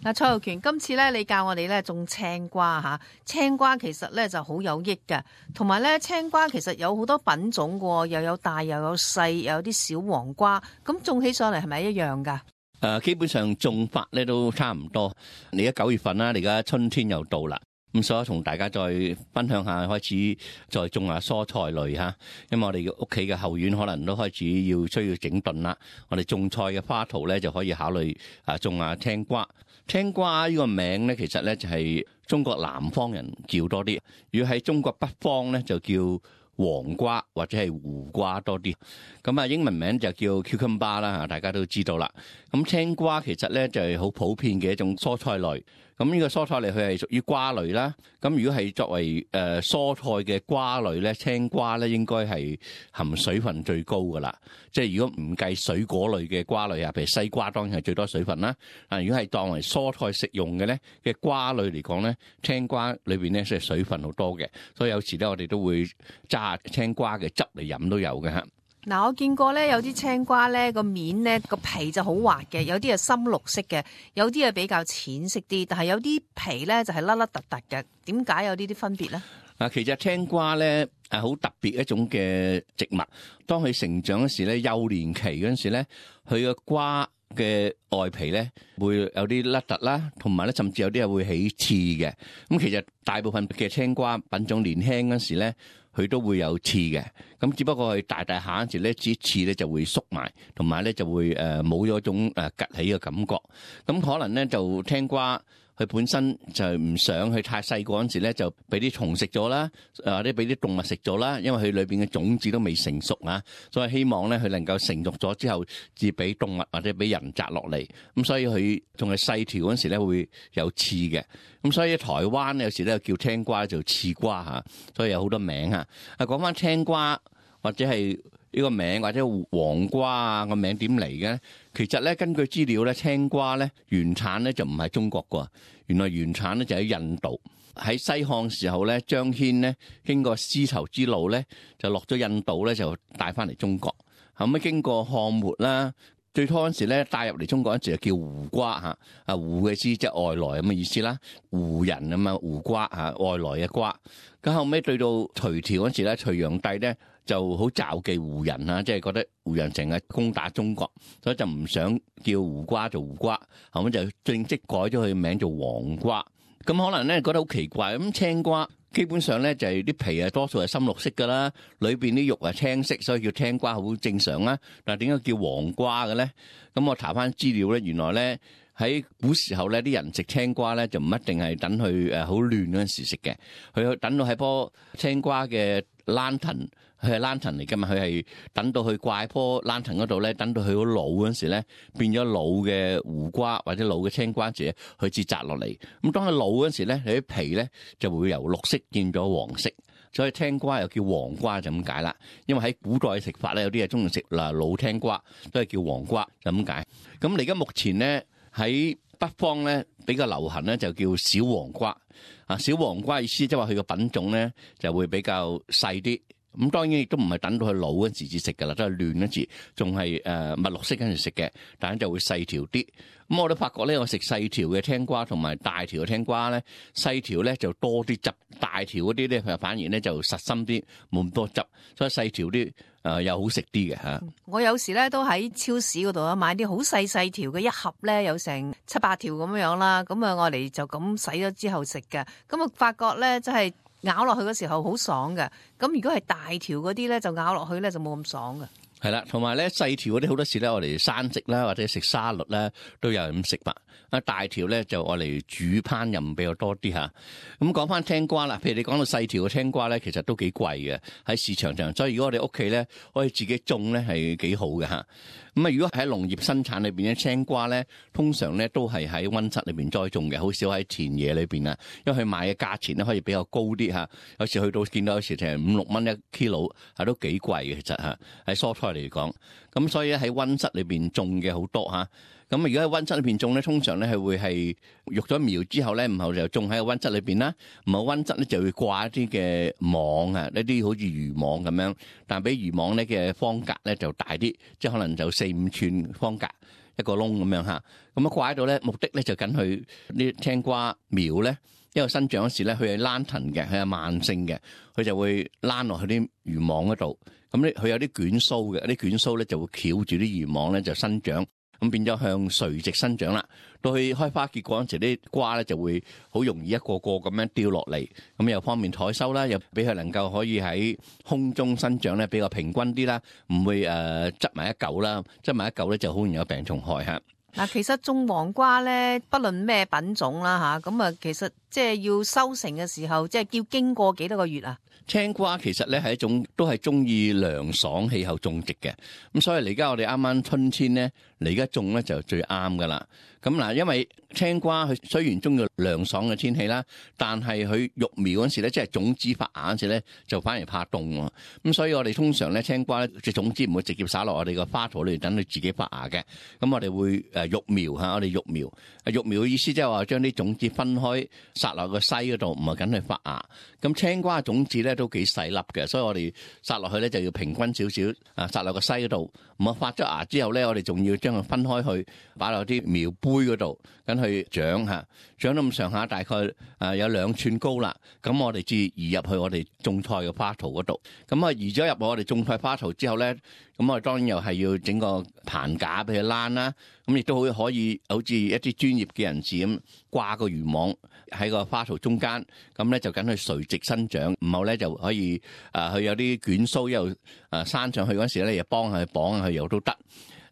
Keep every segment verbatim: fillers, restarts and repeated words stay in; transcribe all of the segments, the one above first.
嗱，蔡浩權，今次咧你教我哋咧種青瓜吓，青瓜其實咧就好有益嘅，同埋咧青瓜其實有好多品種嘅，又有大又有細，又有啲小黃瓜，咁種起上嚟係咪一樣噶？誒、呃，基本上種法咧都差唔多。你而家九月份啦，你而家春天又到啦，咁所以同大家再分享下，開始再種下蔬菜類吓。因為我哋屋企嘅後院可能都開始要需要整頓啦，我哋種菜嘅花圖咧就可以考慮啊種下青瓜。青瓜呢個名咧，其實咧就係中國南方人叫多啲，如果喺中國北方咧就叫黃瓜或者係胡瓜多啲，咁啊英文名就叫 cucumber 啦嚇，大家都知道啦。咁青瓜其實咧就係好普遍嘅一種蔬菜類，咁呢個蔬菜類佢係屬於瓜類啦。咁如果係作為誒蔬菜嘅瓜類咧，青瓜咧應該係含水分最高噶啦。即係如果唔計水果類嘅瓜類啊，譬如西瓜當然係最多水分啦。啊，如果係當為蔬菜食用嘅咧嘅瓜類嚟講咧，青瓜裏邊咧係水分好多嘅，所以有時咧我哋都會揸青瓜嘅汁嚟飲都有嘅嚇。嗱，我見過咧有啲青瓜咧個面咧個皮就好滑嘅，有啲係深綠色嘅，有啲係比較淺色啲，但係有啲皮咧就係甩甩突突嘅。點解有呢啲分別咧？嗱，其實青瓜咧係好特別一種嘅植物，當佢成長嗰時咧，幼年期嗰陣時咧，佢嘅瓜嘅外皮咧會有啲甩突啦，同埋咧甚至有啲係會起刺嘅。咁其實大部分嘅青瓜品種年輕嗰時咧，佢都會有刺嘅。咁只不過係大大下嗰時咧，啲刺咧就會縮埋，同埋咧就會誒冇咗種誒趌起嘅感覺。咁可能咧就青瓜佢本身就唔想佢太細個嗰陣時咧，就俾啲蟲食咗啦，或者俾啲動物食咗啦，因為佢裏邊嘅種子都未成熟啊，所以希望咧佢能夠成熟咗之後，至俾動物或者俾人摘落嚟。咁所以佢仲係細條嗰陣時咧會有刺嘅。咁所以台灣有時咧叫青瓜做刺瓜嚇，所以有好多名嚇。啊，講翻青瓜或者係呢個名或者黃瓜啊個名點嚟嘅？其實咧根據資料咧，青瓜咧原產咧就唔係中國㗎，原來原產咧就喺印度。喺西漢時候咧，張騫咧經過絲綢之路咧就落咗印度咧就帶翻嚟中國。後尾經過漢末啦，最初嗰陣時咧帶入嚟中國嗰陣時就叫胡瓜嚇，啊胡嘅意思即係外來咁嘅意思啦，胡人啊嘛胡瓜嚇，外來嘅瓜。咁後尾對到隋朝嗰陣時咧，隋煬帝咧就好罩忌胡人啊，即係覺得胡人成日攻打中國，所以就唔想叫胡瓜做胡瓜，後尾就正式改咗佢名做黃瓜。咁可能咧覺得好奇怪，咁青瓜基本上咧就係啲皮啊多數係深綠色噶啦，裏邊啲肉係青色，所以叫青瓜好正常啦。但係點解叫黃瓜嘅咧？咁我查翻資料咧，原來咧喺古時候咧啲人食青瓜咧就唔一定係等佢誒好嫩嗰陣時食嘅，佢等到喺棵青瓜嘅蘭藤。佢係蘭藤嚟㗎嘛，佢係等到佢掛喺棵蘭藤嗰度咧，等到佢好老嗰陣時咧，變咗老嘅胡瓜或者老嘅青瓜時，佢至摘落嚟。咁當佢老嗰陣時咧，佢啲皮咧就會由綠色變咗黃色，所以青瓜又叫黃瓜就咁解啦。因為喺古代嘅食法咧，有啲係中意食嗱老青瓜，都係叫黃瓜就咁解。咁你而家目前咧喺北方咧比較流行咧就叫小黃瓜啊，小黃瓜意思即係話佢個品種咧就會比較細啲。咁當然亦都唔係等到佢老嗰陣時至食㗎啦，都係嫩嗰時，仲係誒墨綠色嗰陣時食嘅，但係就會細條啲。咁我都發覺咧，我食細條嘅青瓜同埋大條嘅青瓜咧，細條咧就多啲汁，大條嗰啲咧佢反而咧就實心啲，冇咁多汁，所以細條啲誒又好食啲嘅嚇。我有時咧都喺超市嗰度啊買啲好細細條嘅一盒咧，有成七八條咁樣啦，咁啊我哋就咁洗咗之後食嘅，咁啊發覺咧真係咬落去嗰時候好爽嘅，咁如果係大條嗰啲咧，就咬落去咧就冇咁爽嘅。係啦，同埋咧細條嗰啲好多時咧，我哋生食啦，或者食沙律啦，都有人咁食法。啊大條咧就我嚟煮烹飪比較多啲嚇。咁講翻青瓜啦，譬如你講到細條嘅青瓜咧，其實都幾貴嘅喺市場上，所以如果我哋屋企咧可以自己種咧係幾好嘅嚇。咁啊，如果喺農業生產裏邊咧，青瓜咧通常咧都係喺溫室裏邊栽種嘅，好少喺田野裏邊啊，因為佢賣嘅價錢咧可以比較高啲嚇。有時去到見到有時成五六蚊一 kilo，係都幾貴嘅其實嚇，喺蔬菜嚟講。咁所以喺溫室裏邊種嘅好多嚇。咁如果喺溫室裏邊種咧，通常咧係會係育咗苗之後咧，然後就種喺個溫室裏邊啦。唔係溫室咧就會掛一啲嘅網啊，呢啲好似漁網咁樣，但係比漁網咧嘅方格咧就大啲，即係可能就四五寸方格。一個窿咁樣嚇，咁啊掛喺度咧，目的咧就緊佢啲青瓜苗咧，因為生長嗰時咧，佢係躝藤嘅，佢係慢性嘅，佢就會躝落去啲漁網嗰度。咁咧佢有啲捲鬚嘅，啲捲鬚咧就會翹住啲漁網咧就生長，咁變咗向垂直生長啦。到佢開花結果嗰時，啲瓜咧就會好容易一個個咁樣掉落嚟，咁又方便採收啦，又俾佢能夠可以喺空中生長咧比較平均啲啦，唔會誒執埋一嚿啦，執埋一嚿咧就好容易有病蟲害嚇。嗱，其實種黃瓜咧，不論咩品種啦嚇，咁啊，其實即係要收成嘅時候，即係要經過幾多個月啊？青瓜其實咧係一種都係中意涼爽氣候種植嘅，咁所以嚟家我哋啱啱春天咧嚟家種咧就最啱噶啦。咁嗱，因為青瓜佢雖然中意涼爽嘅天氣啦，但係佢育苗嗰時咧，即係種子發芽嗰時咧，就反而怕凍喎。咁所以我哋通常咧青瓜咧，隻種子唔會直接撒落我哋個花槽裏邊等佢自己發芽嘅。咁我哋會誒育苗嚇，我哋育苗。育苗嘅意思即係話將啲種子分開撒落個篩嗰度，唔係緊去發芽。咁青瓜嘅種子咧都幾細粒嘅，所以我哋撒落去咧就要平均少少啊，撒落個篩嗰度。咁啊發咗芽之後咧，我哋仲要將佢分開去擺落啲苗杯嗰度，咁去長嚇，長到咁上下，大概啊有兩寸高啦。咁我哋至移入去我哋種菜嘅花槽嗰度。咁啊移咗入我哋種菜花槽之後咧，咁我哋當然又係要整個棚架俾佢躝啦。咁亦都好可以好似一啲專業嘅人士咁掛個漁網喺個花槽中間，咁咧就緊去垂直生長，唔好咧就可以啊佢有啲捲鬚又啊生上去嗰時咧，又幫佢綁佢又都得。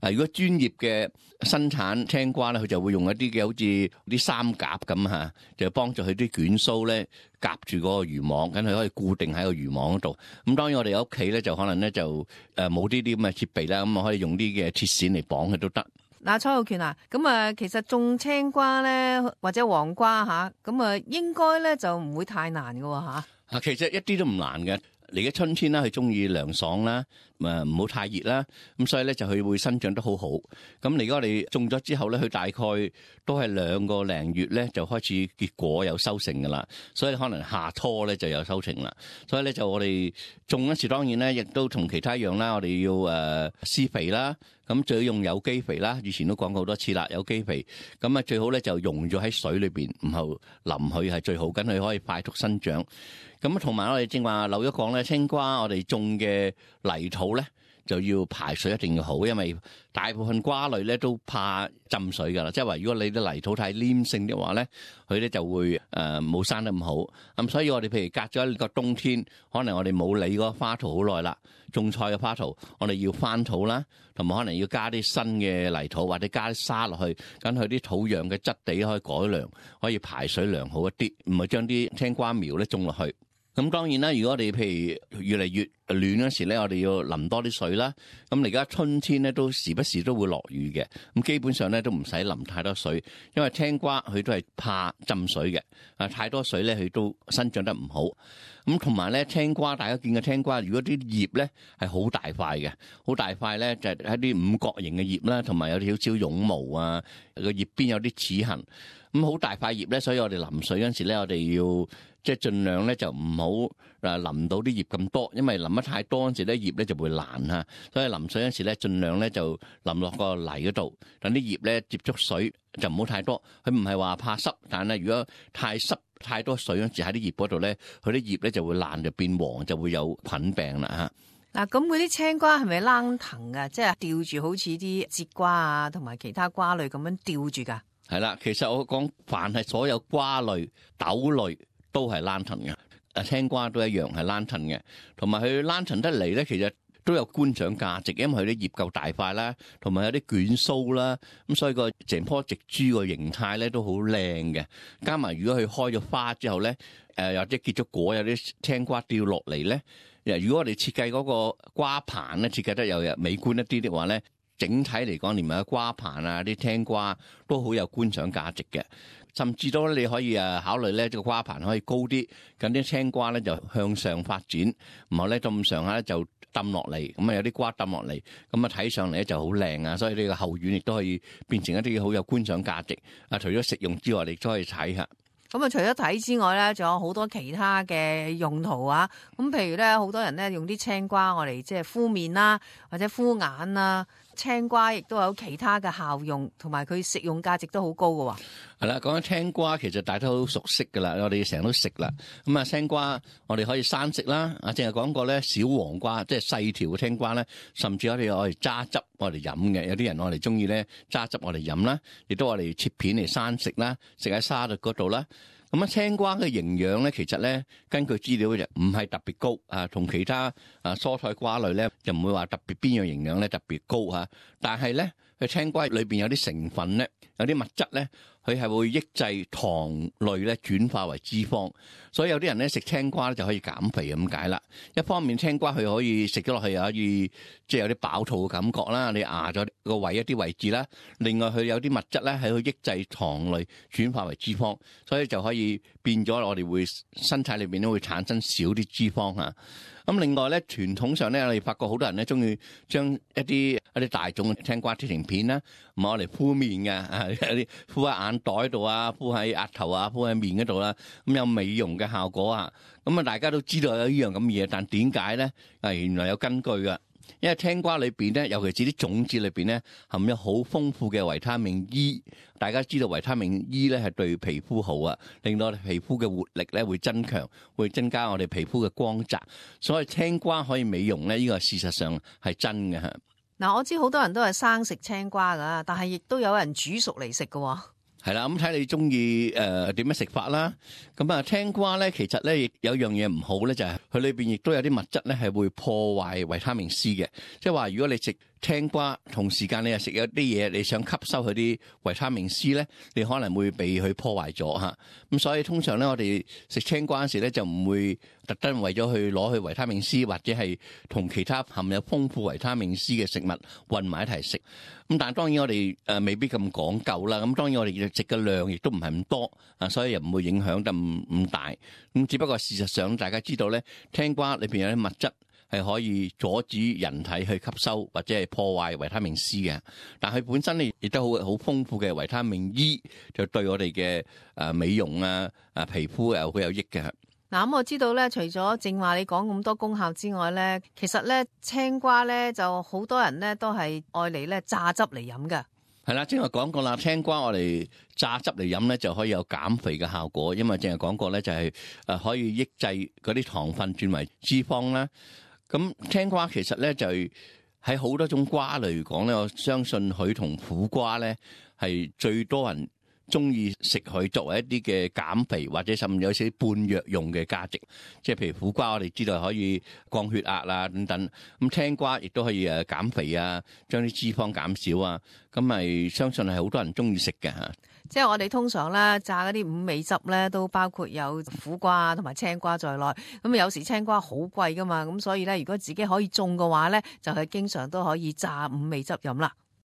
啊！如果專業嘅生產青瓜咧，佢就會用一啲嘅好似啲三夾咁嚇，就幫助佢啲捲鬚咧夾住嗰個漁網，咁佢可以固定喺個漁網嗰度。咁當然我哋屋企咧就可能咧就誒冇呢啲咁嘅設備啦，咁啊可以用啲嘅鐵線嚟綁佢都得。嗱，蔡浩權啊，咁啊其實種青瓜咧或者黃瓜嚇，咁啊應該咧就唔會太難嘅喎嚇。啊，其實一啲都唔難嘅。嚟嘅春天啦，佢中意涼爽啦，誒唔好太熱啦，咁所以咧就佢會生長得好好。咁嚟家我哋種咗之後咧，佢大概都係兩個零月咧就開始結果有收成噶啦，所以可能夏初咧就有收成啦。所以咧就我哋種嗰時當然咧亦都同其他一樣啦，我哋要誒施肥啦，咁最好用有機肥啦。以前都講過好多次啦，有機肥咁啊最好咧就溶咗喺水裏邊，然後淋佢係最好，咁佢可以快速生長。咁同埋我哋正話漏咗講咧，青瓜我哋種嘅泥土咧就要排水一定要好，因為大部分瓜類咧都怕浸水噶啦。即係話如果你啲泥土太黏性嘅話咧，佢咧就會誒冇、呃、生得咁好。咁所以我哋譬如隔咗一個冬天，可能我哋冇理嗰個花槽好耐啦，種菜嘅花槽，我哋要翻土啦，同埋可能要加啲新嘅泥土或者加啲沙落去，咁佢啲土壤嘅質地可以改良，可以排水良好一啲，唔係將啲青瓜苗咧種落去。咁當然啦，如果我哋譬如越嚟越暖嗰時咧，我哋要淋多啲水啦。咁而家春天咧都時不時都會落雨嘅，咁基本上咧都唔使淋太多水，因為青瓜佢都係怕浸水嘅。啊，太多水咧佢都生長得唔好。咁同埋咧青瓜，大家見嘅青瓜，如果啲葉咧係好大塊嘅，好大塊咧就係一啲五角形嘅葉啦，同埋有啲少少絨毛啊，個葉邊有啲齒痕。咁好大塊葉咧，所以我哋淋水嗰陣時咧，我哋要即係盡量咧就唔好誒淋到啲葉咁多，因為淋得太多嗰陣時咧葉咧就會爛嚇。所以淋水嗰陣時咧，盡量咧就淋落個泥嗰度，等啲葉咧接觸水就唔好太多。佢唔係話怕濕，但係如果太濕太多水嗰陣時喺啲葉嗰度咧，佢啲葉咧就會爛就變黃，就會有菌病啦嚇。嗱，咁嗰啲青瓜係咪躝藤㗎？即係吊住好似啲節瓜啊，同埋其他瓜類咁樣吊住㗎？係啦，其實我講凡係所有瓜類、豆類都係躝藤嘅，誒青瓜都一樣係躝藤嘅，同埋佢躝藤得嚟咧，其實都有觀賞價值，因為佢啲葉夠大塊啦，同埋有啲捲鬚啦，咁所以個成棵植株個形態咧都好靚嘅。加埋如果佢開咗花之後咧，誒或者結咗果，有啲青瓜掉落嚟咧，如果我哋設計嗰個瓜棚咧設計得又美觀一啲的話咧，整體嚟講，連埋個瓜棚啊、啲青瓜都好有觀賞價值嘅，甚至都你可以誒考慮咧，呢個瓜棚可以高啲，咁啲青瓜咧就向上發展，然後咧咁上下咧就抌落嚟，咁啊有啲瓜抌落嚟，咁啊睇上嚟咧就好靚啊，所以呢個後院亦都可以變成一啲好有觀賞價值。啊，除咗食用之外，你都可以睇下。咁啊，除咗睇之外咧，仲有好多其他嘅用途啊！咁譬如咧，好多人咧用啲青瓜我嚟即係敷面啦，或者敷眼啦。青瓜亦都有其他嘅效用，同埋佢食用價值都好高嘅喎。係啦，講緊青瓜，其實大家都好熟悉噶啦，我哋成日都食啦。咁啊，青瓜我哋可以生食啦，啊，淨係講過咧，小黃瓜即係細條嘅青瓜咧，甚至我哋我哋揸汁我哋飲嘅，有啲人我哋中意咧揸汁我哋飲啦，亦都我哋切片嚟生食啦，食喺沙律嗰度啦。咁啊，青瓜嘅營養咧，其實咧根據資料就唔係特別高啊，同其他啊蔬菜瓜類咧就唔會話特別邊樣營養咧特別高嚇。但係咧，佢青瓜裏邊有啲成分咧，有啲物質咧，佢係會抑制糖類咧轉化為脂肪，所以有啲人咧食青瓜咧就可以減肥咁解啦。一方面青瓜佢可以食咗落去又可以即係有啲飽肚嘅感覺啦，你壓咗個胃一啲位置啦。另外佢有啲物質咧係去抑制糖類轉化為脂肪，所以就可以變咗我哋會身體裏邊都會產生少啲脂肪嚇。咁另外咧，傳統上咧，我哋發覺好多人咧中意將一啲一啲大眾嘅青瓜切成片啦，唔係我嚟敷面嘅，啊有啲敷喺眼袋度啊，敷喺額頭啊，敷喺面嗰度啦，咁有美容嘅效果啊。咁啊，大家都知道有呢樣咁嘅嘢，但點解咧？啊，原來有根據㗎。因為青瓜裏邊咧，尤其是啲種子裏邊咧，含有好豐富嘅維他命 E。大家知道維他命 E 咧係對皮膚好啊，令到我哋皮膚嘅活力咧會增強，會增加我哋皮膚嘅光澤。所以青瓜可以美容咧，呢個事實上係真嘅嚇。嗱，我知好多人都係生食青瓜噶，但係亦都有人煮熟嚟食嘅。係啦，咁睇你中意誒點樣食法啦。咁啊，青瓜咧其實咧亦有樣嘢唔好咧，就係佢裏邊亦都有啲物質咧係會破壞維他命 C 嘅。即係話如果你食青瓜同時間你又食有啲嘢，你想吸收佢啲維他命 C 咧，你可能會被佢破壞咗嚇。咁所以通常咧，我哋食青瓜嗰時咧就唔會特登為咗去攞去維他命 C 或者係同其他含有豐富維他命 C 嘅食物混埋一齊食。咁但係當然我哋誒未必咁講究啦。咁當然我哋食嘅量亦都唔係咁多啊，所以又唔會影響得唔唔大。咁只不過事實上大家知道咧，青瓜裏邊有啲物質係可以阻止人體去吸收或者係破壞維他命 C 嘅，但係本身咧亦都好好豐富嘅維他命 E， 就對我哋嘅誒美容啊、啊皮膚又好有益嘅。嗱，咁我知道咧，除咗正話你講咁多功效之外咧，其實咧青瓜咧就好多人咧都係愛嚟咧榨汁嚟飲嘅。係啦，正話講過啦，青瓜我哋榨汁嚟飲咧就可以有減肥嘅效果，因為正係講過咧就係誒可以抑制嗰啲糖分轉為脂肪啦。咁青瓜其實咧就喺好多種瓜類嚟講咧，我相信佢同苦瓜咧係最多人中意食佢作為一啲嘅減肥或者甚至有少少半藥用嘅價值。即係譬如苦瓜我哋知道可以降血壓啊等等，咁青瓜亦都可以誒減肥啊，將啲脂肪減少啊，咁咪相信係好多人中意食嘅嚇。即係我哋通常咧榨嗰啲五味汁咧，都包括有苦瓜同埋青瓜在內。咁有時青瓜好貴噶嘛，咁所以咧如果自己可以種嘅話咧，就係經常都可以榨五味汁飲啦。